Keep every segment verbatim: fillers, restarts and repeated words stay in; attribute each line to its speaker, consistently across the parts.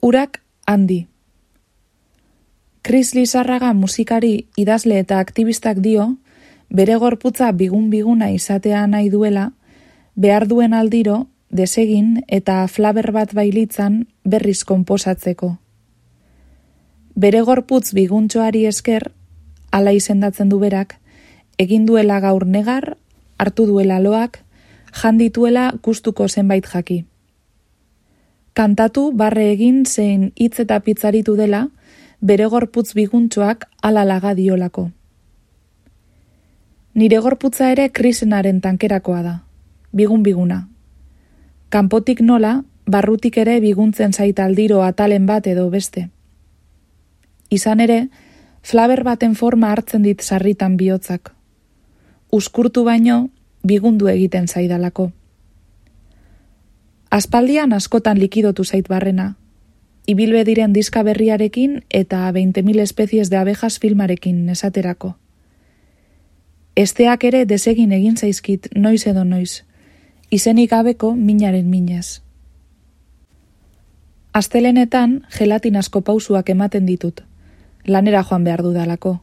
Speaker 1: Urak handi. Kris Lizarraga musikari, idazle eta aktivistak dio, bere gorputza bigun-biguna izatea nahi duela, behar duen aldiro, desegin eta flaber bat bailitzan berriz konposatzeko. Bere gorputz biguntxoari esker, hala izendatzen du berak, egin duela gaur negar, hartu duela loak, jandituela gustuko zenbait jaki. Kantatu barre egin zein hitz eta pitzaritu dela, bere gorputz biguntxoak hala laga diolako. Nire gorputza ere Krisenaren tankerakoa da, bigun-biguna. Kanpotik nola, barrutik ere biguntzen zait aldiro atalen bat edo beste. Izan ere, flaber baten forma hartzen dit sarritan bihotzak. Uzkurtu baino, bigundu egiten zaidalako. Aspaldian askotan likidotu zait barrena, ibilbe diren diska berriarekin eta veinte mil espezies de abejas filmarekin esaterako. Esteak ere desegin egin zaizkit noiz edo noiz, izenik gabeko minaren minez. Astelenetan gelatinazko pausuak ematen ditut, lanera joan behar dudalako.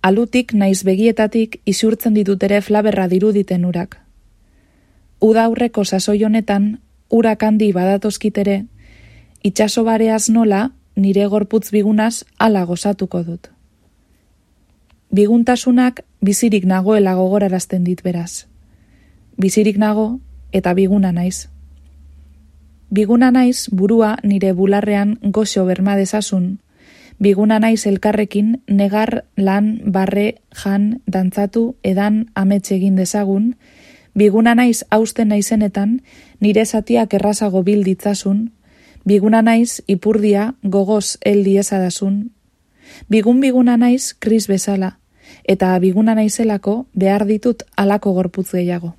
Speaker 1: Alutik naiz begietatik isurtzen ditut ere flaberra diruditen urak. Uda aurreko sasoi honetan, urak handi badatozkit ere, itxaso bareaz nola nire gorputz bigunaz hala gozatuko dut. Biguntasunak bizirik nagoela gogorarazten dit beraz. Bizirik nago eta biguna naiz. Biguna naiz burua nire bularrean goxo berma dezasun, biguna naiz elkarrekin negar, lan, barre, jan, dantzatu, edan, amets egin dezagun, biguna naiz hausten naizenetan, nire zatiak errazago bil ditzasun, biguna naiz ipurdia gogoz hel diezadasun, bigun-biguna naiz Kris bezala, eta biguna naizelako behar ditut halako gorputz gehiago.